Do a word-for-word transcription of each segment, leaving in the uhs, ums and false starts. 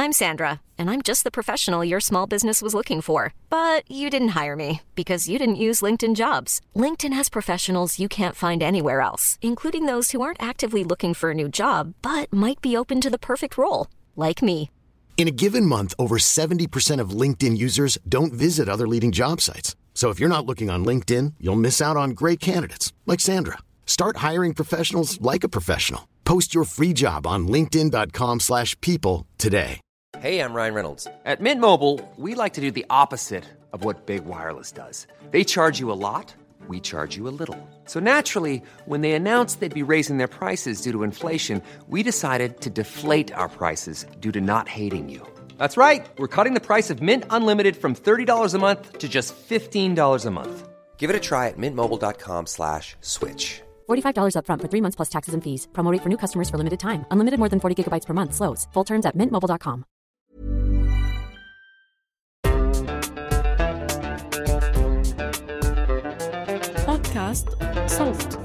I'm Sandra, and I'm just the professional your small business was looking for. But you didn't hire me because you didn't use LinkedIn Jobs. LinkedIn has professionals you can't find anywhere else, including those who aren't actively looking for a new job, but might be open to the perfect role, like me. In a given month, over seventy percent of LinkedIn users don't visit other leading job sites. So if you're not looking on LinkedIn, you'll miss out on great candidates like Sandra. Start hiring professionals like a professional. Post your free job on linkedin dot com slash people today. Hey, I'm Ryan Reynolds. At Mint Mobile, we like to do the opposite of what Big Wireless does. They charge you a lot, we charge you a little. So naturally, when they announced they'd be raising their prices due to inflation, we decided to deflate our prices due to not hating you. That's right. We're cutting the price of Mint Unlimited from thirty dollars a month to just fifteen dollars a month. Give it a try at mintmobile.com slash switch. forty-five dollars up front for three months plus taxes and fees. Promo rate for new customers for limited time. Unlimited more than forty gigabytes per month. Slows full terms at mint mobile dot com. بودكاست صوت.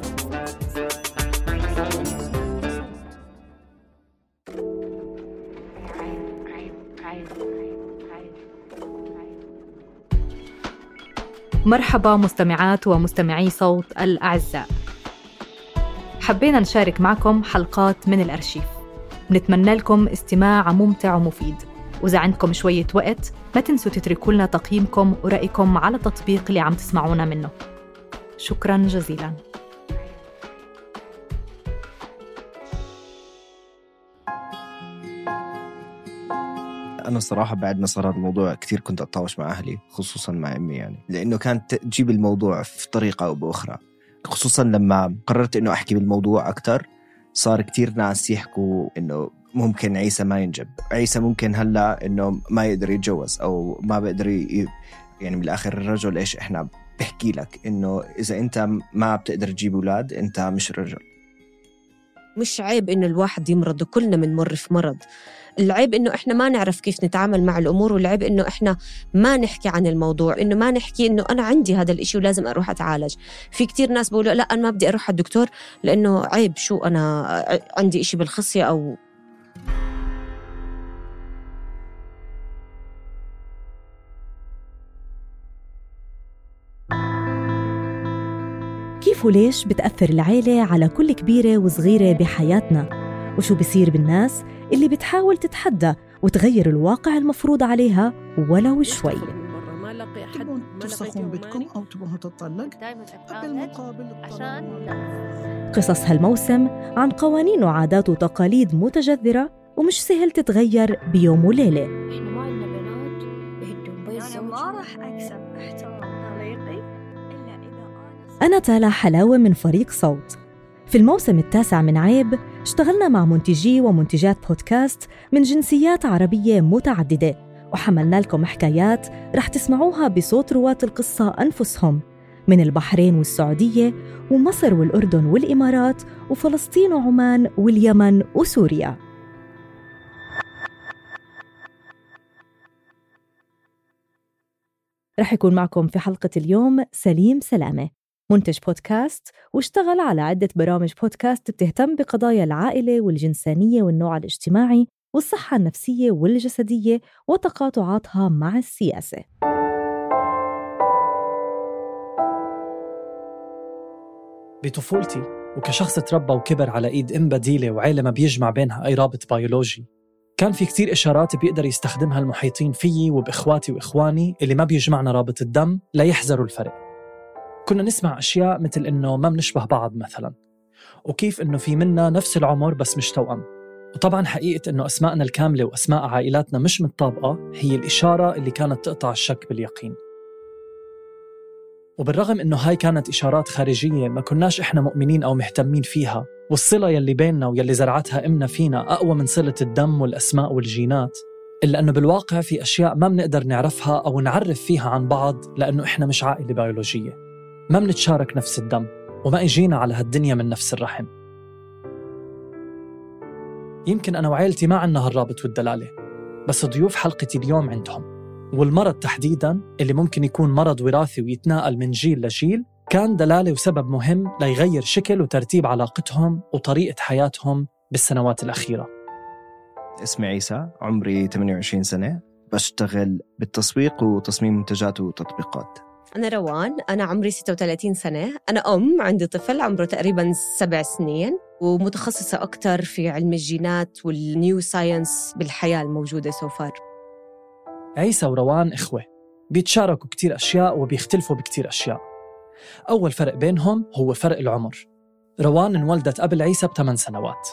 مرحبا مستمعات ومستمعي صوت الأعزاء. حبينا نشارك معكم حلقات من الأرشيف. بنتمنى لكم استماع ممتع ومفيد، وإذا عندكم شوية وقت ما تنسوا تتركوا لنا تقييمكم ورأيكم على التطبيق اللي عم تسمعونا منه. شكراً جزيلاً. أنا صراحة بعد ما صار هذا الموضوع كثير كنت أتطاوش مع أهلي، خصوصاً مع أمي، يعني لأنه كانت تجيب الموضوع في طريقة أو بأخرى. خصوصاً لما قررت إنه أحكي بالموضوع أكتر، صار كتير ناس يحكوا إنه ممكن عيسى ما ينجب، عيسى ممكن هلأ إنه ما يقدر يتجوز أو ما بقدر ي... يعني بالآخر الرجل إيش إحنا بحكي لك إنه إذا أنت ما بتقدر تجيب أولاد أنت مش رجل. مش عيب إنه الواحد يمرض، وكلنا منمر في مرض. العيب إنه إحنا ما نعرف كيف نتعامل مع الأمور، والعيب إنه إحنا ما نحكي عن الموضوع، إنه ما نحكي إنه أنا عندي هذا الإشي ولازم أروح أتعالج. في كتير ناس بيقولوا لا أنا ما بدي أروح على الدكتور لأنه عيب، شو أنا عندي إشي بالخصية أو كيف وليش بتأثر العيلة على كل كبيرة وصغيرة بحياتنا؟ وشو بيصير بالناس اللي بتحاول تتحدى وتغير الواقع المفروض عليها ولو شوي؟ تبون تفسخون بيتكم أو تبون تطلق بالمقابل عشان قصص هالموسم عن قوانين وعادات وتقاليد متجذرة ومش سهل تتغير بيوم وليلة. إحنا ما عندنا بنات يهدون بيت زوجي. أنا ما راح أكسب احترام طليقي إلا إذا أنا تالا حلاوة من فريق صوت. في الموسم التاسع من عيب اشتغلنا مع منتجي ومنتجات بودكاست من جنسيات عربية متعددة، وحملنا لكم حكايات رح تسمعوها بصوت رواة القصة أنفسهم من البحرين والسعودية ومصر والأردن والإمارات وفلسطين وعمان واليمن وسوريا. رح يكون معكم في حلقة اليوم سليم سلامة، منتج بودكاست واشتغل على عدة برامج بودكاست بتهتم بقضايا العائلة والجنسانية والنوع الاجتماعي والصحة النفسية والجسدية وتقاطعاتها مع السياسة. بطفولتي وكشخص تربى وكبر على إيد أم بديلة وعيلة ما بيجمع بينها أي رابط بيولوجي، كان في كتير إشارات بيقدر يستخدمها المحيطين فيي وبإخواتي وإخواني اللي ما بيجمعنا رابط الدم ليحذروا الفرق. كنا نسمع أشياء مثل إنه ما بنشبه بعض مثلاً، وكيف إنه في منا نفس العمر بس مش توأم. وطبعاً حقيقة إنه أسماءنا الكاملة وأسماء عائلاتنا مش متطابقة هي الإشارة اللي كانت تقطع الشك باليقين. وبالرغم إنه هاي كانت إشارات خارجية ما كناش إحنا مؤمنين أو مهتمين فيها، والصلة يلي بيننا ويلي زرعتها إمنا فينا أقوى من صلة الدم والأسماء والجينات، إلا أنه بالواقع في أشياء ما بنقدر نعرفها أو نعرف فيها عن بعض لأنه إحنا مش عائلة بيولوجية، ما بنتشارك نفس الدم وما إجينا على هالدنيا من نفس الرحم. يمكن أنا وعائلتي ما عنا هالرابط والدلالة، بس ضيوف حلقتي اليوم عندهم. والمرض تحديداً اللي ممكن يكون مرض وراثي ويتناقل من جيل لجيل كان دلالة وسبب مهم ليغير شكل وترتيب علاقتهم وطريقة حياتهم بالسنوات الأخيرة. اسمي عيسى، عمري ثمانية وعشرين سنة، بشتغل بالتسويق وتصميم منتجات وتطبيقات. أنا روان، أنا عمري ستة وثلاثين سنة، أنا أم، عندي طفل عمره تقريباً سبع سنين، ومتخصصة أكتر في علم الجينات والنيو ساينس بالحياة الموجودة سوفار. عيسى وروان إخوة، بيتشاركوا كتير أشياء وبيختلفوا بكتير أشياء. أول فرق بينهم هو فرق العمر. روان انولدت قبل عيسى بثمان سنوات.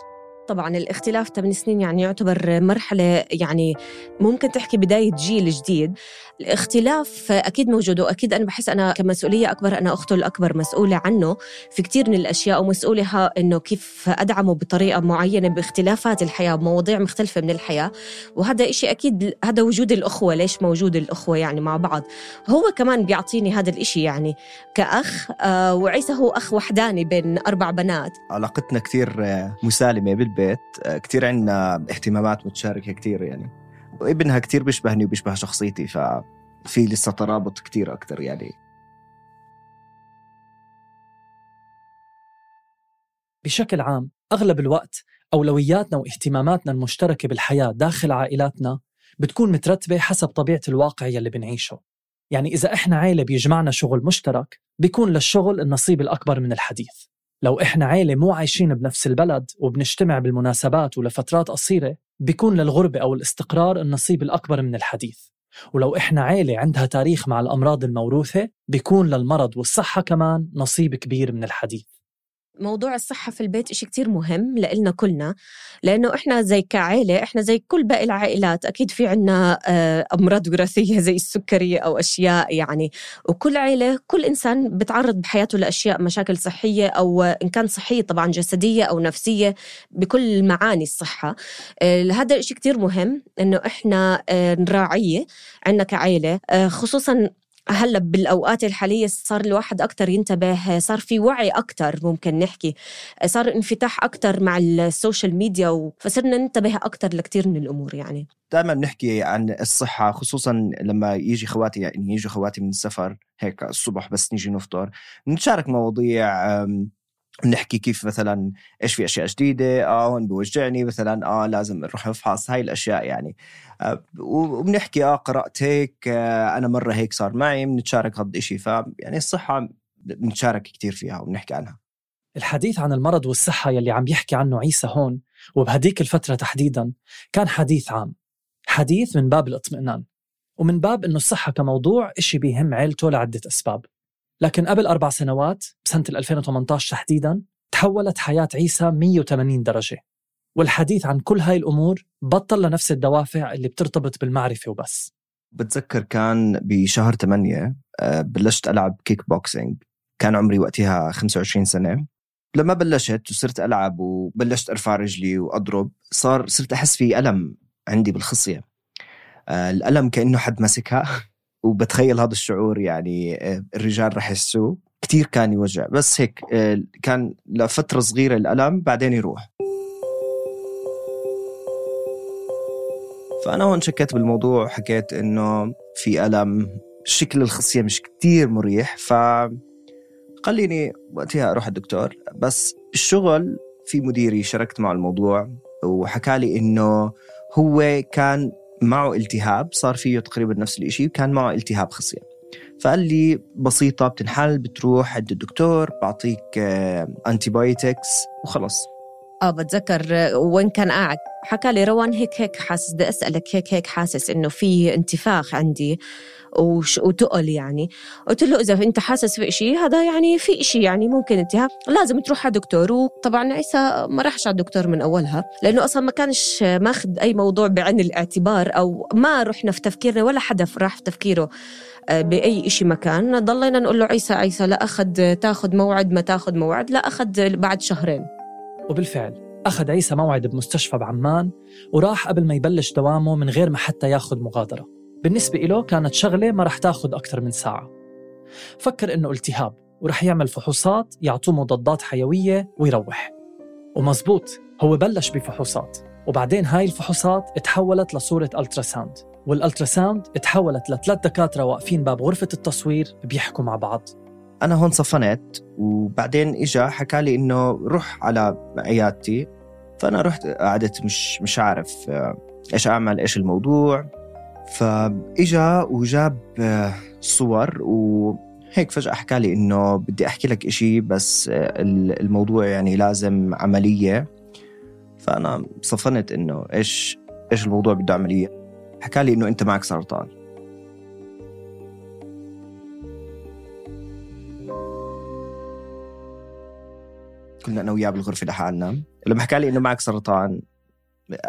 طبعاً الاختلاف ثمان سنين يعني يعتبر مرحلة، يعني ممكن تحكي بداية جيل جديد. الاختلاف أكيد موجود، وأكيد أنا بحس أنا كمسؤولية أكبر، أنا أخته الأكبر مسؤولة عنه في كتير من الأشياء، ومسؤولة إنه كيف أدعمه بطريقة معينة باختلافات الحياة، بمواضيع مختلفة من الحياة. وهذا إشي أكيد، هذا وجود الأخوة. ليش موجود الأخوة يعني مع بعض؟ هو كمان بيعطيني هذا الإشي يعني كأخ، آه وعيسى هو أخ وحداني بين أربع بنات. علاقتنا كتير مسالمة بالبيت، كتير عنا اهتمامات متشاركة كتير يعني، وابنها كتير بيشبهني وبيشبه شخصيتي، ففي لسه ترابط كتير أكتر يعني. بشكل عام أغلب الوقت أولوياتنا واهتماماتنا المشتركة بالحياة داخل عائلاتنا بتكون مترتبة حسب طبيعة الواقع يلي بنعيشه. يعني إذا إحنا عائلة بيجمعنا شغل مشترك، بيكون للشغل النصيب الأكبر من الحديث. لو إحنا عائلة مو عايشين بنفس البلد وبنجتمع بالمناسبات ولفترات قصيرة، بيكون للغربة أو الاستقرار النصيب الأكبر من الحديث. ولو إحنا عائلة عندها تاريخ مع الأمراض الموروثة، بيكون للمرض والصحة كمان نصيب كبير من الحديث. موضوع الصحة في البيت إشي كتير مهم لإلنا كلنا، لأنه إحنا زي كعائلة، إحنا زي كل باقي العائلات أكيد في عنا أمراض وراثية زي السكري أو أشياء يعني. وكل عائلة، كل إنسان بتعرض بحياته لأشياء، مشاكل صحية أو إن كان صحية طبعا جسدية أو نفسية، بكل معاني الصحة. هذا إشي كتير مهم إنه إحنا نراعيه عنا كعائلة، خصوصاً هلأ بالأوقات الحالية صار الواحد أكتر ينتبه، صار في وعي أكتر، ممكن نحكي صار انفتاح أكتر مع السوشيال ميديا، فصرنا ننتبه أكتر لكتير من الأمور يعني. دائما نحكي عن الصحة، خصوصا لما يجي خواتي يعني يجي خواتي من السفر هيك الصبح بس نيجي نفطر، نتشارك مواضيع، نحكي كيف مثلا إيش في أشياء جديدة، آه هون بوجعني مثلا، آه لازم نروح نفحص هاي الأشياء يعني. آه وبنحكي آه قرأت هيك، آه أنا مرة هيك صار معي، بنتشارك هذا الشيء. فيعني الصحة بنتشارك كتير فيها وبنحكي عنها. الحديث عن المرض والصحة يلي عم يحكي عنه عيسى هون وبهديك الفترة تحديدا كان حديث عام، حديث من باب الاطمئنان، ومن باب إنه الصحة كموضوع إشي بيهم عيلته لعدة أسباب. لكن قبل أربع سنوات بسنة ألفين وثمانية عشر تحديداً تحولت حياة عيسى مية وثمانين درجة، والحديث عن كل هاي الأمور بطل لنفس الدوافع اللي بترتبط بالمعرفة وبس. بتذكر كان بشهر ثمانية بلشت ألعب كيك بوكسينج، كان عمري وقتها خمسة وعشرين سنة. لما بلشت وصرت ألعب وبلشت أرفع رجلي وأضرب، صار صرت أحس في ألم عندي بالخصية، الألم كأنه حد مسكها، وبتخيل هذا الشعور يعني الرجال رح يحسوه كتير، كان يوجع. بس هيك كان لفترة صغيرة الألم، بعدين يروح. فأنا هون شكيت بالموضوع، حكيت إنه في ألم، شكل الخصية مش كتير مريح، فقليني وقتها أروح الدكتور. بس الشغل في مديري شاركت مع الموضوع، وحكالي إنه هو كان معه التهاب، صار فيه تقريبا نفس الاشي، وكان معه التهاب خصية. فقال لي بسيطة بتنحل، بتروح عند الدكتور بعطيك أنتيبايوتكس وخلص. آه بتذكر وين كان قاعد حكى لي روان هيك هيك حاسس، بدي أسألك هيك هيك حاسس إنه في انتفاخ عندي وش وتقل يعني. قلت له إذا أنت حاسس في إشي هذا يعني في إشي يعني ممكن التهاب، لازم تروح على دكتور. وطبعا عيسى ما راحش على الدكتور من أولها، لأنه أصلا ما كانش ماخد أي موضوع بعين الاعتبار، أو ما رحنا في تفكيرنا ولا حدا راح في تفكيره بأي إشي مكان. ضلينا نقول له عيسى عيسى لا أخذ تاخد موعد، ما تاخد موعد، لا أخذ بعد شهرين. وبالفعل أخذ عيسى موعد بمستشفى بعمان، وراح قبل ما يبلش دوامه من غير ما حتى ياخد مغادرة. بالنسبة إله كانت شغلة ما رح تاخد أكتر من ساعة. فكر إنه التهاب ورح يعمل فحوصات يعطوه مضادات حيوية ويروح. ومزبوط، هو بلش بفحوصات، وبعدين هاي الفحوصات اتحولت لصورة ألتراساوند، والألتراساوند اتحولت لثلاث دكاترة واقفين باب غرفة التصوير بيحكوا مع بعض. أنا هون صفنت، وبعدين إجا حكالي إنه روح على عيادتي فأنا رحت قعدت مش مش عارف إيش أعمل إيش الموضوع. فإجا وجاب صور وهيك فجأة حكى لي إنه بدي أحكي لك إشي بس الموضوع يعني لازم عملية. فأنا صفنت إنه إيش إيش الموضوع بده عملية. حكى لي إنه أنت معك سرطان. كنا أنا وياه بالغرفة لحالنا. لما حكى لي إنه معك سرطان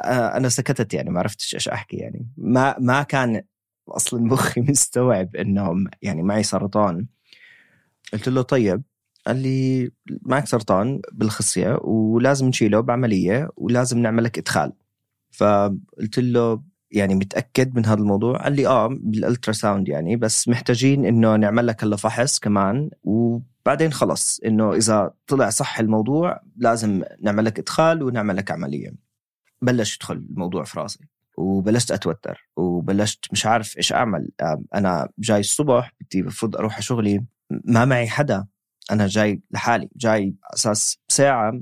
أنا سكتت، يعني ما عرفتش إيش أحكي. يعني ما ما كان أصلاً مخي مستوعب إنه يعني معي سرطان. قلت له طيب. قال لي معك سرطان بالخصية ولازم نشيله بعملية ولازم نعملك إدخال. فقلت له يعني متأكد من هذا الموضوع؟ قال لي آه بالألتراساوند يعني، بس محتاجين إنه نعمل لك هلا فحص كمان وبعدين خلص إنه إذا طلع صح الموضوع لازم نعمل لك إدخال ونعمل لك عملية. بلش يدخل الموضوع في راسي وبلشت أتوتر وبلشت مش عارف إيش أعمل. أنا جاي الصبح بدي بفضل أروح على شغلي، ما معي حدا، أنا جاي لحالي، جاي أساس ساعة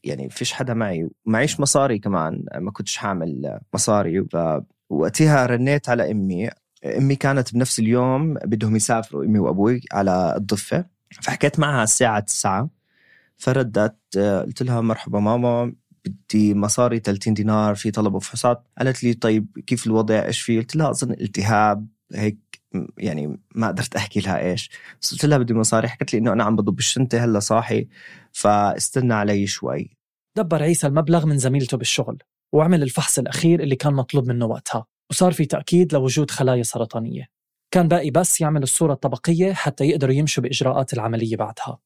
يعني فيش حدا معي، معيش مصاري كمان، ما كنتش حامل مصاري. فوقتها رنيت على أمي. أمي كانت بنفس اليوم بدهم يسافروا أمي وأبوي على الضفة، فحكيت معها الساعة تسعة. فردت قلت لها مرحبا ماما، بدي مصاري ثلاثين دينار في طلب فحوصات. قالت لي طيب كيف الوضع إيش فيه؟ قلت لها أظن التهاب هيك، يعني ما قدرت أحكي لها إيش. قلت لها بدي مصاري. حكت لي إنه أنا عم بضب الشنطة هلا صاحي فاستنى علي شوي. دبر عيسى المبلغ من زميلته بالشغل وعمل الفحص الأخير اللي كان مطلوب منه وقتها، وصار في تأكيد لوجود خلايا سرطانية. كان باقي بس يعمل الصورة الطبقية حتى يقدروا يمشوا بإجراءات العملية بعدها.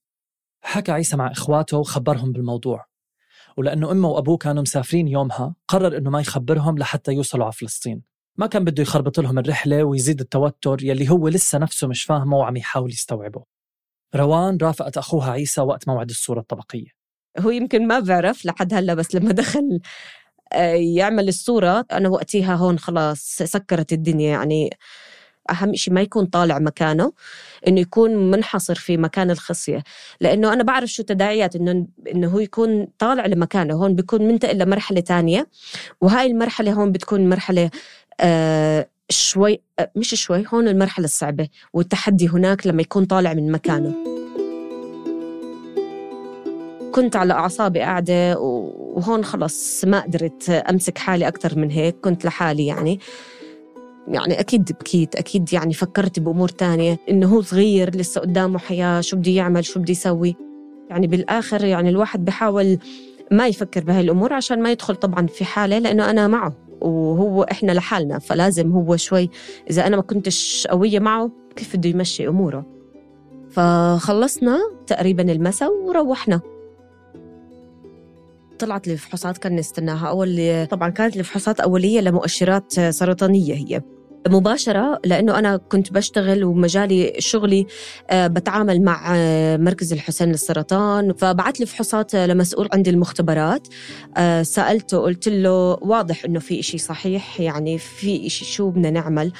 حكى عيسى مع إخواته وخبرهم بالموضوع، ولأنه أمه وأبوه كانوا مسافرين يومها قرر إنه ما يخبرهم لحتى يوصلوا على فلسطين. ما كان بده يخربط لهم الرحلة ويزيد التوتر يلي هو لسه نفسه مش فاهمه وعم يحاول يستوعبه. روان رافقت أخوها عيسى وقت موعد الصورة الطبقية. هو يمكن ما بعرف لحد هلا، بس لما دخل يعمل الصورة أنا وقتها هون خلاص سكرت الدنيا. يعني أهم شيء ما يكون طالع مكانه، إنه يكون منحصر في مكان الخصية، لأنه أنا بعرف شو تداعيات إنه إنه هو يكون طالع لمكانه. هون بيكون منتقل لمرحلة تانية، وهاي المرحلة هون بتكون مرحلة آه شوي آه مش شوي هون المرحلة الصعبة والتحدي هناك لما يكون طالع من مكانه. كنت على أعصابي قاعدة وهون خلص ما قدرت أمسك حالي أكتر من هيك. كنت لحالي يعني يعني أكيد بكيت، أكيد يعني فكرت بأمور تانية، إنه هو صغير لسه قدامه حياة، شو بدي يعمل شو بدي يسوي. يعني بالآخر يعني الواحد بحاول ما يفكر بهاي الأمور عشان ما يدخل طبعا في حالة، لأنه أنا معه وهو إحنا لحالنا، فلازم هو شوي إذا أنا ما كنتش قوية معه كيف بده يمشي أموره. فخلصنا تقريبا المساء وروحنا. طلعت لي فحوصات كان نستناها. أول طبعاً كانت الفحوصات أولية لمؤشرات سرطانية هي مباشرة، لأنه أنا كنت بشتغل ومجالي شغلي بتعامل مع مركز الحسين للسرطان. فبعت لي فحوصات لمسؤول عندي المختبرات، سألته قلت له واضح إنه في إشي صحيح، يعني في إشي شو بدنا نعمل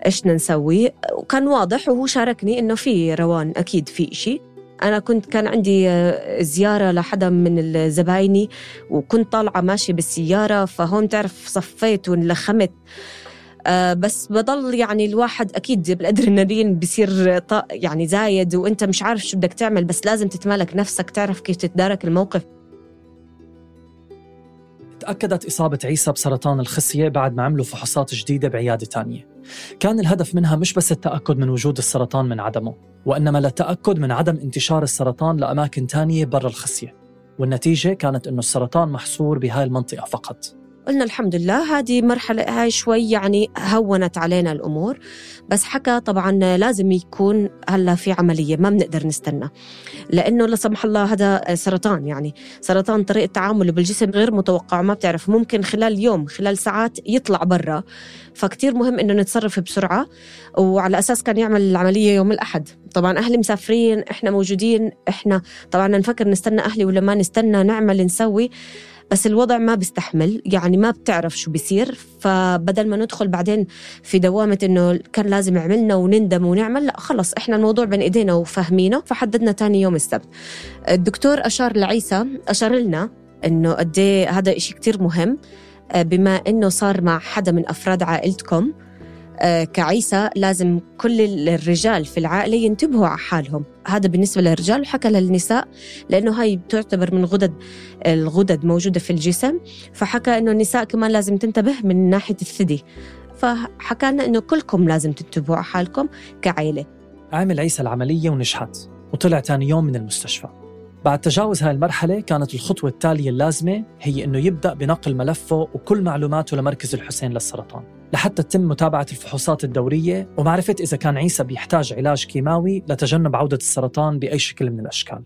إيش نسوي. وكان واضح وهو شاركني إنه في روان أكيد في إشي. أنا كنت كان عندي زيارة لحدا من الزبايني وكنت طالعة ماشي بالسيارة، فهون تعرف صفيت ونلخمت. أه بس بضل يعني الواحد أكيد بالأدرينالين بيصير يعني زايد، وإنت مش عارف شو بدك تعمل، بس لازم تتمالك نفسك تعرف كيف تتدارك الموقف. تأكدت إصابة عيسى بسرطان الخصية بعد ما عملوا فحوصات جديدة بعيادة تانية. كان الهدف منها مش بس التأكد من وجود السرطان من عدمه، وإنما للتأكد من عدم انتشار السرطان لأماكن تانية برا الخصية. والنتيجة كانت إنه السرطان محصور بهاي المنطقة فقط. قلنا الحمد لله هذه مرحلة هاي شوي يعني هونت علينا الأمور، بس حكى طبعا لازم يكون هلا في عملية، ما بنقدر نستنى، لأنه لا سمح الله هذا سرطان، يعني سرطان طريقة تعامله بالجسم غير متوقع، ما بتعرف ممكن خلال يوم خلال ساعات يطلع برا. فكتير مهم إنه نتصرف بسرعة، وعلى أساس كان يعمل العملية يوم الأحد. طبعا أهلي مسافرين، إحنا موجودين، إحنا طبعا نفكر نستنى أهلي ولا ما نستنى، نعمل نسوي، بس الوضع ما بيستحمل، يعني ما بتعرف شو بيصير. فبدل ما ندخل بعدين في دوامة إنه كان لازم عملنا ونندم ونعمل، لا خلص إحنا الموضوع بين إيدينا وفهمينه. فحددنا تاني يوم السبت. الدكتور أشار لعيسى، أشار لنا إنه قديه هذا إشي كتير مهم. بما إنه صار مع حدا من أفراد عائلتكم كعيسى، لازم كل الرجال في العائلة ينتبهوا على حالهم. هذا بالنسبة للرجال، وحكى للنساء لأنه هاي تعتبر من غدد الغدد موجودة في الجسم، فحكى إنه النساء كمان لازم تنتبه من ناحية الثدي. فحكى لنا إنه كلكم لازم تنتبهوا على حالكم كعائلة. عمل عيسى العملية ونجحت وطلع تاني يوم من المستشفى. بعد تجاوز هاي المرحلة كانت الخطوة التالية اللازمة هي إنه يبدأ بنقل ملفه وكل معلوماته لمركز الحسين للسرطان لحتى تتم متابعة الفحوصات الدورية ومعرفة إذا كان عيسى بيحتاج علاج كيماوي لتجنب عودة السرطان بأي شكل من الأشكال.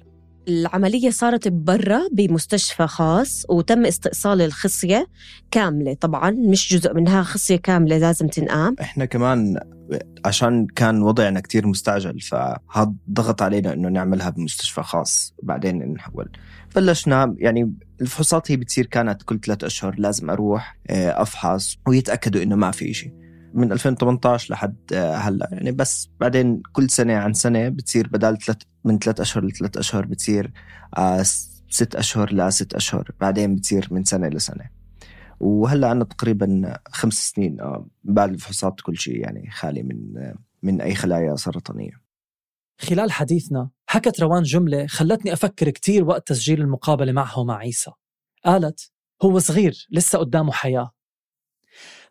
العملية صارت برا بمستشفى خاص، وتم استئصال الخصية كاملة. طبعاً مش جزء منها، خصية كاملة لازم تنقام. إحنا كمان عشان كان وضعنا كتير مستعجل، فهذا ضغط علينا إنه نعملها بمستشفى خاص بعدين نحول. بلشنا يعني الفحوصات هي بتصير كانت كل ثلاثة أشهر لازم أروح أفحص ويتأكدوا إنه ما في إشي، من ألفين وثمانية عشر لحد هلا يعني. بس بعدين كل سنة عن سنة بتصير بدال ثلاث من ثلاث أشهر لثلاث أشهر بتصير آه ست أشهر لست أشهر، بعدين بتصير من سنة لسنة. وهلا عنا تقريبا خمس سنين آه بعد الفحوصات كل شيء يعني خالي من آه من أي خلايا سرطانية. خلال حديثنا حكت روان جملة خلتني أفكر كتير وقت تسجيل المقابلة معه مع عيسى. قالت هو صغير لسه قدامه حياة.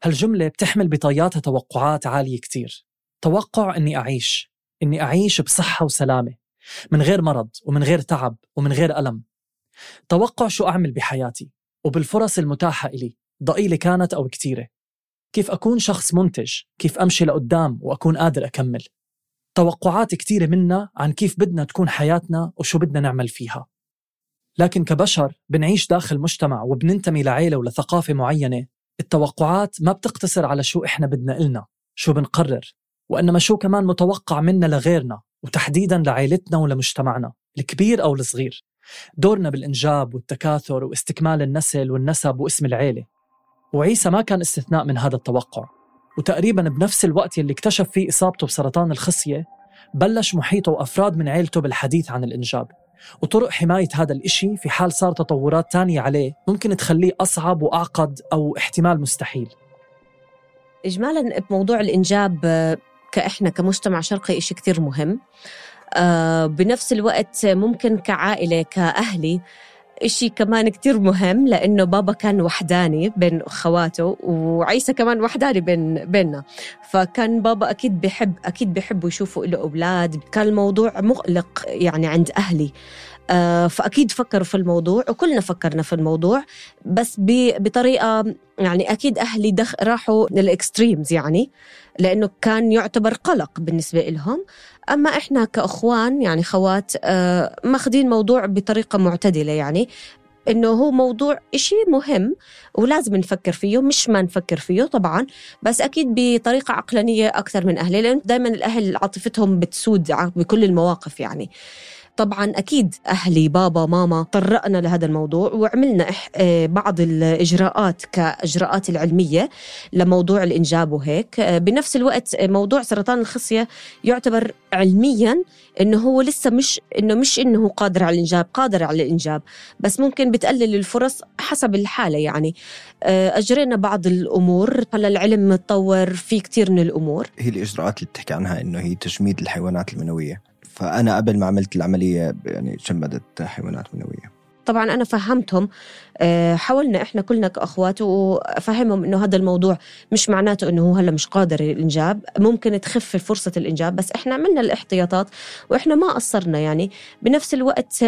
هالجملة بتحمل بطياتها توقعات عالية كتير. توقع إني أعيش إني أعيش بصحة وسلامة، من غير مرض ومن غير تعب ومن غير ألم. توقع شو أعمل بحياتي وبالفرص المتاحة إلي، ضئيلة كانت أو كتيرة. كيف أكون شخص منتج، كيف أمشي لقدام وأكون قادر أكمل. توقعات كتيرة منا عن كيف بدنا تكون حياتنا وشو بدنا نعمل فيها. لكن كبشر بنعيش داخل مجتمع وبننتمي لعيلة ولثقافة معينة. التوقعات ما بتقتصر على شو إحنا بدنا إلنا، شو بنقرر، وإنما شو كمان متوقع منا لغيرنا، وتحديداً لعائلتنا ولمجتمعنا الكبير أو الصغير. دورنا بالإنجاب والتكاثر واستكمال النسل والنسب واسم العيلة. وعيسى ما كان استثناء من هذا التوقع. وتقريباً بنفس الوقت اللي اكتشف فيه إصابته بسرطان الخصية، بلش محيطه وأفراد من عيلته بالحديث عن الإنجاب وطرق حماية هذا الإشي في حال صار تطورات تانية عليه ممكن تخليه أصعب وأعقد أو احتمال مستحيل. إجمالاً بموضوع الإنجاب كإحنا كمجتمع شرقي إشي كتير مهم. آه بنفس الوقت ممكن كعائلة كأهلي إشي كمان كتير مهم، لأنه بابا كان وحداني بين أخواته وعيسى كمان وحداني بين بيننا، فكان بابا أكيد بيحب أكيد بيحبوا يشوفوا له أولاد. كان الموضوع مقلق يعني عند أهلي، آه فأكيد فكروا في الموضوع وكلنا فكرنا في الموضوع، بس بطريقة يعني أكيد أهلي دخ راحوا للإكستريمز يعني، لأنه كان يعتبر قلق بالنسبة لهم. أما إحنا كأخوان يعني خوات آه ماخدين موضوع بطريقة معتدلة، يعني إنه هو موضوع إشي مهم ولازم نفكر فيه، مش ما نفكر فيه طبعاً، بس أكيد بطريقة عقلانية أكثر من أهلي، لأن دايماً الأهل عاطفتهم بتسود بكل المواقف يعني. طبعاً أكيد أهلي بابا ماما طرقنا لهذا الموضوع وعملنا بعض الإجراءات كإجراءات العلمية لموضوع الإنجاب وهيك. بنفس الوقت موضوع سرطان الخصية يعتبر علمياً إنه هو لسه مش إنه مش إنه قادر على الإنجاب، قادر على الإنجاب، بس ممكن بتقلل الفرص حسب الحالة يعني. أجرينا بعض الأمور، هلا العلم متطور في كتير من الأمور. هي الإجراءات اللي بتحكي عنها إنه هي تجميد الحيوانات المنوية، فأنا قبل ما عملت العملية يعني جمدت حيوانات منوية. طبعا أنا فهمتهم، حاولنا إحنا كلنا كأخوات وفهمهم إنه هذا الموضوع مش معناته إنه هو هلا مش قادر الإنجاب، ممكن تخف فرصة الإنجاب، بس إحنا عملنا الاحتياطات وإحنا ما قصرنا يعني. بنفس الوقت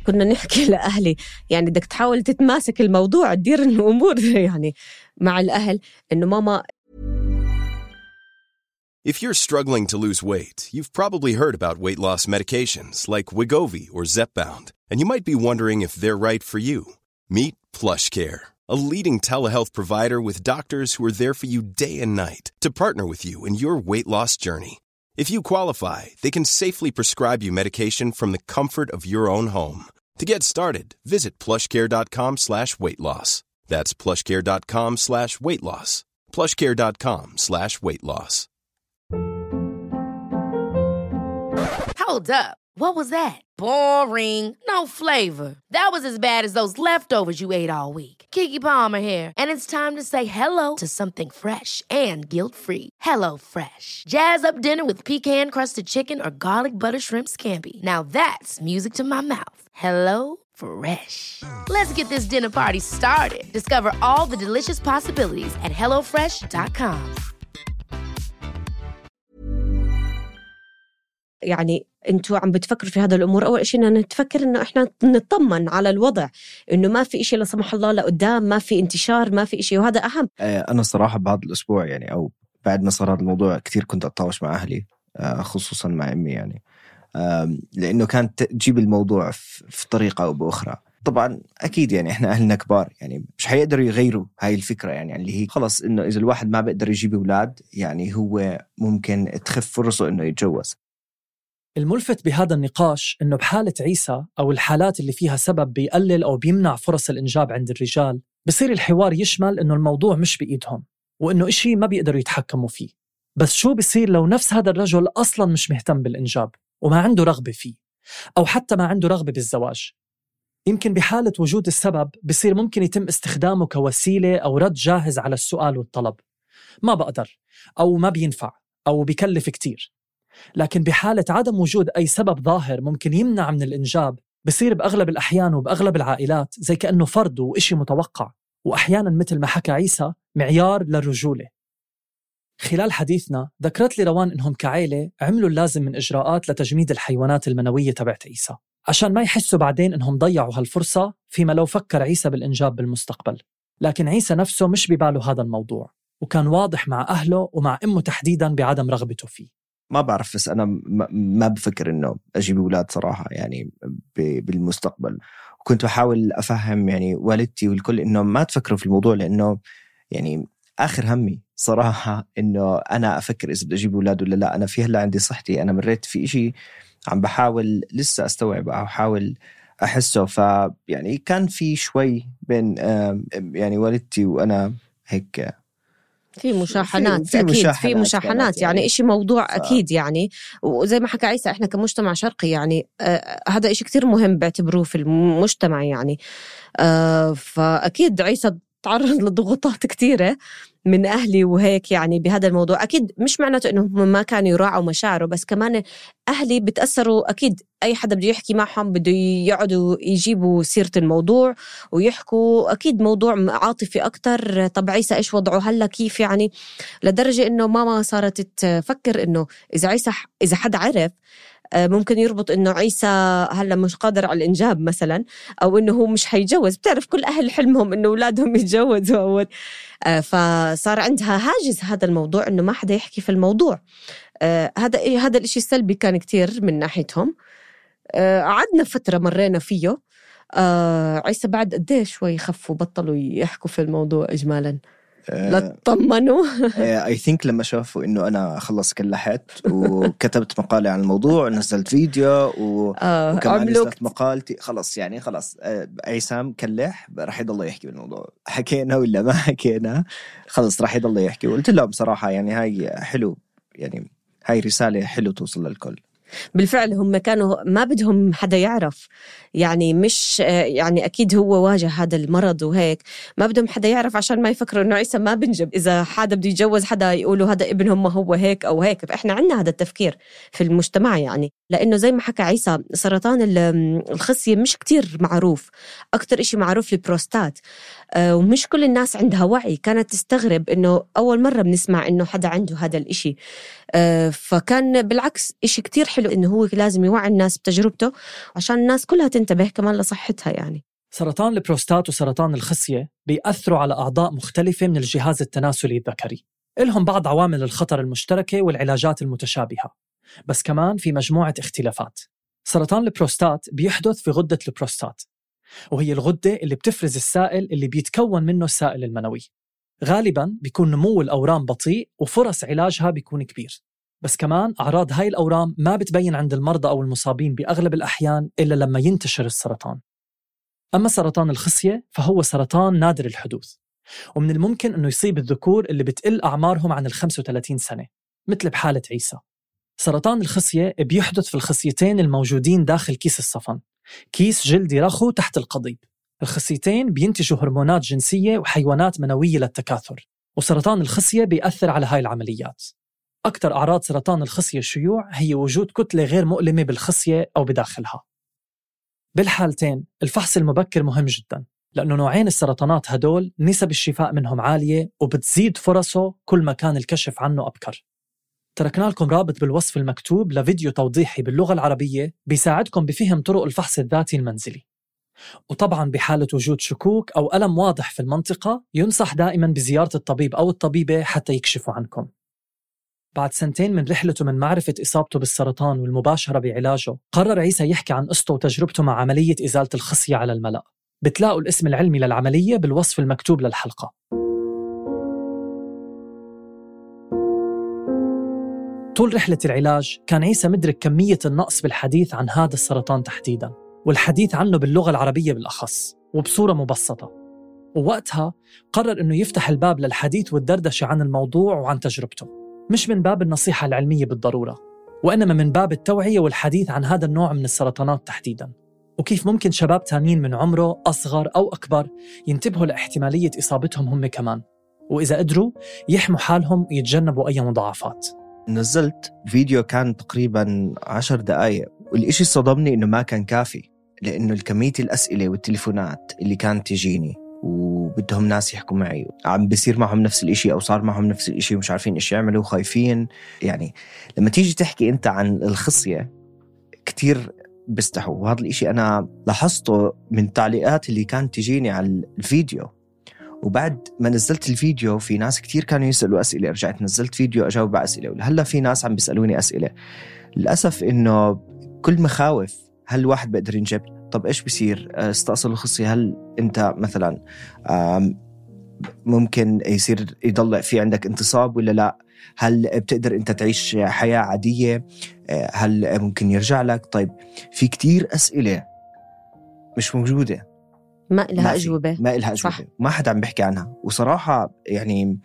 كنا نحكي لأهلي يعني بدك تحاول تتماسك الموضوع، تدير الأمور يعني مع الأهل، إنه ماما. If you're struggling to lose weight, you've probably heard about weight loss medications like Wegovy or Zepbound, and you might be wondering if they're right for you. Meet PlushCare, a leading telehealth provider with doctors who are there for you day and night to partner with you in your weight loss journey. If you qualify, they can safely prescribe you medication from the comfort of your own home. To get started, visit plushcare.com slash weight loss. That's plushcare.com slash weight loss. plushcare.com slash weight loss. Hold up. What was that? Boring. No flavor. That was as bad as those leftovers you ate all week. Keke Palmer here. And it's time to say hello to something fresh and guilt-free. Hello Fresh. Jazz up dinner with pecan-crusted chicken or garlic butter shrimp scampi. Now that's music to my mouth. Hello Fresh. Let's get this dinner party started. Discover all the delicious possibilities at hello fresh dot com. يعني انتوا عم بتفكروا في هذا الأمور، أول شيء إننا نتفكر إنه إحنا نطمن على الوضع، إنه ما في إشي لا سمح الله لقدام، ما في انتشار، ما في إشي، وهذا أهم. أنا الصراحة بهذا الأسبوع يعني أو بعد ما صار هذا الموضوع كتير كنت أتطاوش مع أهلي، خصوصا مع أمي يعني، لأنه كانت تجيب الموضوع في طريقة أو بأخرى. طبعا أكيد يعني إحنا أهلنا كبار، يعني مش حيقدروا يغيروا هاي الفكرة، يعني اللي هي خلص إنه إذا الواحد ما بيقدر يجيب أولاد يعني هو ممكن تخف فرصه إنه يتجوز. الملفت بهذا النقاش إنه بحالة عيسى أو الحالات اللي فيها سبب بيقلل أو بيمنع فرص الإنجاب عند الرجال، بصير الحوار يشمل إنه الموضوع مش بإيدهم وإنه إشي ما بيقدروا يتحكموا فيه. بس شو بيصير لو نفس هذا الرجل أصلاً مش مهتم بالإنجاب وما عنده رغبة فيه، أو حتى ما عنده رغبة بالزواج؟ يمكن بحالة وجود السبب بصير ممكن يتم استخدامه كوسيلة أو رد جاهز على السؤال والطلب، ما بقدر أو ما بينفع أو بيكلف كتير. لكن بحالة عدم وجود أي سبب ظاهر ممكن يمنع من الإنجاب، بصير بأغلب الأحيان وبأغلب العائلات زي كأنه فرض وإشي متوقع، وأحيانا مثل ما حكى عيسى معيار للرجولة. خلال حديثنا ذكرت لي روان إنهم كعائلة عملوا اللازم من إجراءات لتجميد الحيوانات المنوية تبعت عيسى عشان ما يحسوا بعدين إنهم ضيعوا هالفرصة فيما لو فكر عيسى بالإنجاب بالمستقبل. لكن عيسى نفسه مش بباله هذا الموضوع، وكان واضح مع أهله ومع أمه تحديداً بعدم رغبته فيه. ما بعرف، بس أنا ما بفكر إنه أجيب أولاد صراحة يعني بالمستقبل. وكنت بحاول أفهم يعني والدتي والكل إنه ما تفكروا في الموضوع، لأنه يعني آخر همي صراحة إنه أنا أفكر إذا بدي أجيب أولاد ولا لا. أنا في هلا عندي صحتي، أنا مريت في إشي عم بحاول لسه أستوعب أو أحاول أحسه. فيعني كان في شوي بين يعني والدتي وأنا هيك في مشاحنات، في أكيد مشاحنات في مشاحنات يعني, يعني إشي موضوع ف... أكيد يعني. وزي ما حكى عيسى إحنا كمجتمع شرقي يعني آه هذا إشي كتير مهم بعتبروه في المجتمع يعني. آه فأكيد عيسى تعرض لضغوطات كتيرة من أهلي وهيك يعني بهذا الموضوع. أكيد مش معناته إنهم ما كانوا يراعوا مشاعره، بس كمان أهلي بتأثروا. أكيد أي حدا بده يحكي معهم بده يقعدوا يجيبوا سيرة الموضوع ويحكوا، أكيد موضوع عاطفي أكتر. طب عيسى إيش وضعه هلا كيف يعني، لدرجة إنه ماما صارت تفكر إنه إذا عيسى إذا حد عرف ممكن يربط إنه عيسى هلا مش قادر على الإنجاب مثلا، أو إنه هو مش هيجوز. بتعرف كل أهل حلمهم إنه أولادهم يتجوزوا أول. فصار عندها هاجس هذا الموضوع إنه ما حدا يحكي في الموضوع. هذا هذا الإشي السلبي كان كتير من ناحيتهم. قعدنا فترة مرينا فيه. عيسى بعد قديه شوي خفوا بطلوا يحكوا في الموضوع إجمالا. لا تطمنوا. I think لما شافوا إنه أنا خلص كلحت وكتبت مقالة عن الموضوع ونزلت فيديو و... آه وكمان نزلت مقالتي، خلص يعني خلص عيسام كلح رح يضل يحكي بالموضوع. حكينا ولا ما حكينا خلص رح يضل يحكي. وقلت لهم بصراحة يعني هاي حلو، يعني هاي رسالة حلو توصل للكل. بالفعل هم كانوا ما بدهم حدا يعرف يعني، مش يعني أكيد هو واجه هذا المرض وهيك، ما بدهم حدا يعرف عشان ما يفكروا إنه عيسى ما بنجب. إذا حدا بده يتجوز حدا يقولوا هذا ابنهم ما هو هيك أو هيك. فإحنا عنا هذا التفكير في المجتمع يعني، لأنه زي ما حكى عيسى سرطان الخصية مش كتير معروف. أكتر إشي معروف البروستات، ومش كل الناس عندها وعي. كانت تستغرب إنه أول مرة بنسمع إنه حدا عنده هذا الإشي. فكان بالعكس إشي كتير حلو إنه هو لازم يوعي الناس بتجربته عشان الناس كلها تنتبه كمان لصحتها يعني. سرطان البروستات وسرطان الخصية بيأثروا على أعضاء مختلفة من الجهاز التناسلي الذكري. إلهم بعض عوامل الخطر المشتركة والعلاجات المتشابهة، بس كمان في مجموعة اختلافات. سرطان البروستات بيحدث في غدة البروستات، وهي الغدة اللي بتفرز السائل اللي بيتكون منه السائل المنوي. غالباً بيكون نمو الأورام بطيء وفرص علاجها بيكون كبير. بس كمان أعراض هاي الأورام ما بتبين عند المرضى أو المصابين بأغلب الأحيان إلا لما ينتشر السرطان. أما سرطان الخصية فهو سرطان نادر الحدوث، ومن الممكن أنه يصيب الذكور اللي بتقل أعمارهم عن الخمسة وثلاثين سنة مثل بحالة عيسى. سرطان الخصية بيحدث في الخصيتين الموجودين داخل كيس الصفن، كيس جلدي رخو تحت القضيب. الخصيتين بينتجوا هرمونات جنسية وحيوانات منوية للتكاثر، وسرطان الخصية بيأثر على هاي العمليات. أكثر أعراض سرطان الخصية الشيوع هي وجود كتلة غير مؤلمة بالخصية أو بداخلها. بالحالتين الفحص المبكر مهم جداً، لأنه نوعين السرطانات هدول نسب الشفاء منهم عالية وبتزيد فرصه كل ما كان الكشف عنه أبكر. تركنا لكم رابط بالوصف المكتوب لفيديو توضيحي باللغة العربية بيساعدكم بفهم طرق الفحص الذاتي المنزلي. وطبعاً بحالة وجود شكوك أو ألم واضح في المنطقة ينصح دائماً بزيارة الطبيب أو الطبيبة حتى يكشفوا عنكم. بعد سنتين من رحلته من معرفة إصابته بالسرطان والمباشرة بعلاجه، قرر عيسى يحكي عن قصته وتجربته مع عملية إزالة الخصية على الملأ. بتلاقوا الاسم العلمي للعملية بالوصف المكتوب للحلقة. طول رحلة العلاج كان عيسى مدرك كمية النقص بالحديث عن هذا السرطان تحديداً، والحديث عنه باللغة العربية بالأخص وبصورة مبسطة. ووقتها قرر إنه يفتح الباب للحديث والدردشة عن الموضوع وعن تجربته، مش من باب النصيحة العلمية بالضرورة، وإنما من باب التوعية والحديث عن هذا النوع من السرطانات تحديداً، وكيف ممكن شباب تانيين من عمره أصغر أو أكبر ينتبهوا لاحتمالية إصابتهم هم كمان، وإذا قدروا يحموا حالهم ويتجنبوا أي مضاعفات. نزلت فيديو كان تقريباً عشر دقايق، والإشي صدمني إنه ما كان كافي، لأنه الكمية الأسئلة والتليفونات اللي كانت تجيني وبدهم ناس يحكوا معي عم بيصير معهم نفس الإشي أو صار معهم نفس الإشي ومش عارفين إيش يعملوا وخايفين. يعني لما تيجي تحكي أنت عن الخصية كتير بيستحوا، وهذا الإشي أنا لاحظته من التعليقات اللي كانت تجيني على الفيديو. وبعد ما نزلت الفيديو في ناس كتير كانوا يسألوا أسئلة، رجعت نزلت فيديو أجاوب على أسئلة، ولهلا في ناس عم بيسألوني أسئلة. للأسف إنه كل مخاوف، هل الواحد بقدر ينجب؟ طب إيش بيصير استأصل الخصية؟ هل أنت مثلا ممكن يصير يضل في عندك انتصاب ولا لا؟ هل بتقدر أنت تعيش حياة عادية؟ هل ممكن يرجع لك؟ طيب في كتير أسئلة مش موجودة، ما إلها أجوبة، ما إلها أجوبة، ما حد عم بيحكي عنها. وصراحة يعني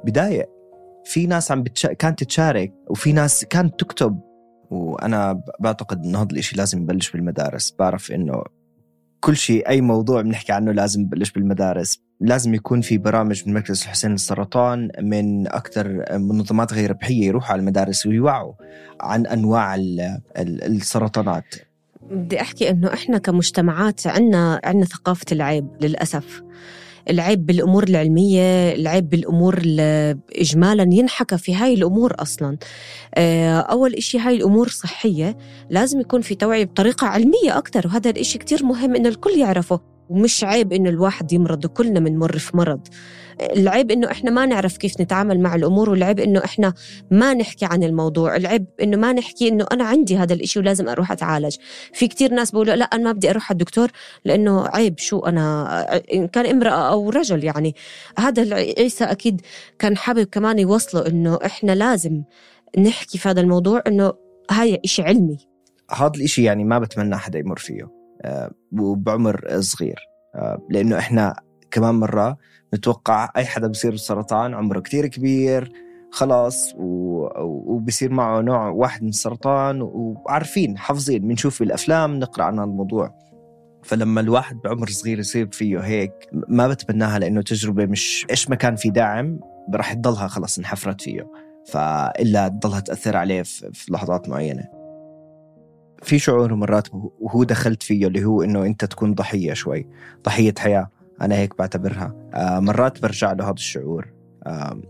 بداية في ناس عم بتش... كانت تشارك، وفي ناس كانت تكتب. وأنا بعتقد إنه هذا الإشي لازم يبلش بالمدارس. بعرف إنه كل شيء، أي موضوع بنحكي عنه لازم يبلش بالمدارس. لازم يكون في برامج من مركز الحسين للسرطان، من أكثر منظمات غير ربحية يروحوا على المدارس ويوعوا عن أنواع السرطانات. بدي أحكي إنه إحنا كمجتمعات عنا عنا ثقافة العيب. للأسف العيب بالأمور العلمية، العيب بالأمور إجمالاً ينحكى في هاي الأمور أصلاً. أول إشي هاي الأمور صحية، لازم يكون في توعية بطريقة علمية أكتر، وهذا الإشي كتير مهم إنه الكل يعرفه. ومش عيب إنه الواحد يمرض، وكلنا منمر في مرض. العيب إنه إحنا ما نعرف كيف نتعامل مع الأمور، والعيب إنه إحنا ما نحكي عن الموضوع. العيب إنه ما نحكي إنه أنا عندي هذا الإشي ولازم أروح أتعالج. في كتير ناس بيقولوا لا أنا ما بدي أروح على الدكتور لأنه عيب، شو أنا إن كان امرأة أو رجل. يعني هذا عيسى أكيد كان حابب كمان يوصله إنه إحنا لازم نحكي في هذا الموضوع، إنه هاي إشي علمي. هذا الإشي يعني ما بتمنى حدا يمر فيه وبعمر صغير، لأنه إحنا كمان مرة نتوقع أي حدا بيصير السرطان عمره كتير كبير خلاص، وبيصير معه نوع واحد من السرطان، وعارفين حافظين بنشوف بالأفلام نقرأ عن الموضوع. فلما الواحد بعمر صغير يصير فيه هيك ما بتمناها، لأنه تجربة مش إيش ما كان في داعم راح تضلها خلاص انحفرت فيه، فإلا تضلها تأثر عليه في لحظات معينة. في شعور مرات وهو دخلت فيه اللي هو إنه أنت تكون ضحية، شوي ضحية حياة، أنا هيك بعتبرها. آه مرات برجع له هذا الشعور، آه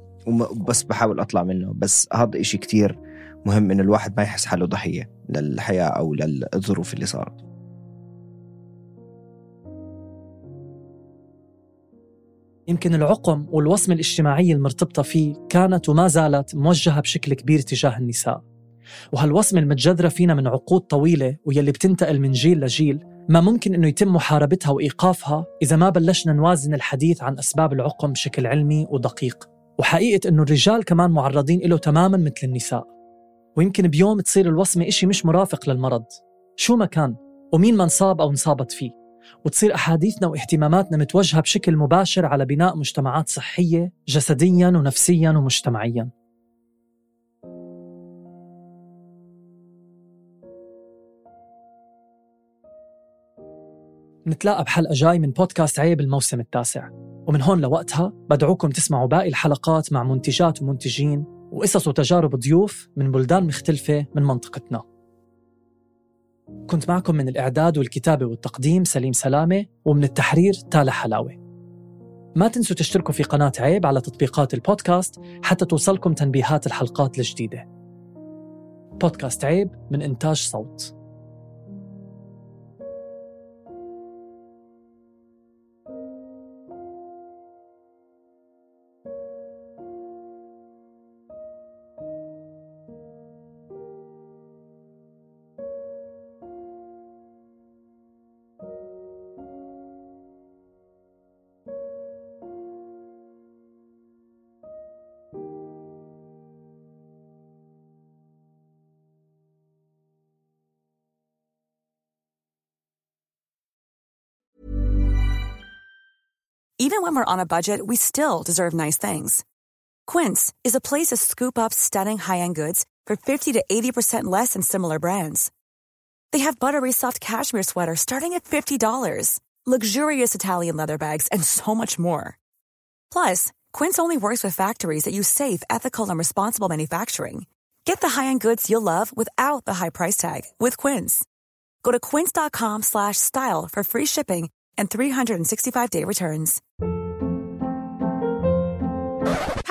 بس بحاول أطلع منه. بس هذا إشي كتير مهم إنه الواحد ما يحس حاله ضحية للحياة أو للظروف اللي صارت. يمكن العقم والوصمة الاجتماعية المرتبطة فيه كانت وما زالت موجهة بشكل كبير تجاه النساء، وهالوصمة المتجذرة فينا من عقود طويلة ويلي بتنتقل من جيل لجيل، ما ممكن إنه يتم محاربتها وإيقافها إذا ما بلشنا نوازن الحديث عن أسباب العقم بشكل علمي ودقيق. وحقيقة إنه الرجال كمان معرضين إله تماماً مثل النساء، ويمكن بيوم تصير الوصمة إشي مش مرافق للمرض شو ما كان ومين ما انصاب أو انصابت فيه، وتصير أحاديثنا واهتماماتنا متوجهة بشكل مباشر على بناء مجتمعات صحية جسدياً ونفسياً ومجتمعياً. نتلاقى بحلقة جاي من بودكاست عيب الموسم التاسع، ومن هون لوقتها بدعوكم تسمعوا باقي الحلقات مع منتجات ومنتجين وقصص وتجارب ضيوف من بلدان مختلفة من منطقتنا. كنت معكم من الإعداد والكتابة والتقديم سليم سلامة، ومن التحرير تالة حلاوة. ما تنسوا تشتركوا في قناة عيب على تطبيقات البودكاست حتى توصلكم تنبيهات الحلقات الجديدة. بودكاست عيب من إنتاج صوت. Even when we're on a budget, we still deserve nice things. Quince is a place to scoop up stunning high-end goods for fifty to eighty percent less than similar brands. They have buttery soft cashmere sweaters starting at fifty dollars, luxurious Italian leather bags, and so much more. Plus, Quince only works with factories that use safe, ethical, and responsible manufacturing. Get the high-end goods you'll love without the high price tag with Quince. Go to quince.com slash style for free shipping and three sixty-five day returns.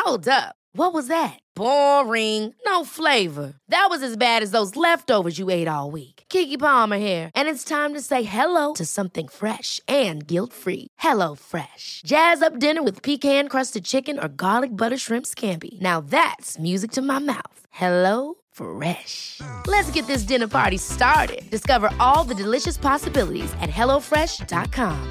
Hold up. What was that? Boring. No flavor. That was as bad as those leftovers you ate all week. Keke Palmer here, and it's time to say hello to something fresh and guilt-free. Hello Fresh. Jazz up dinner with pecan-crusted chicken or garlic butter shrimp scampi. Now that's music to my mouth. Hello Fresh. Let's get this dinner party started. Discover all the delicious possibilities at hello fresh dot com.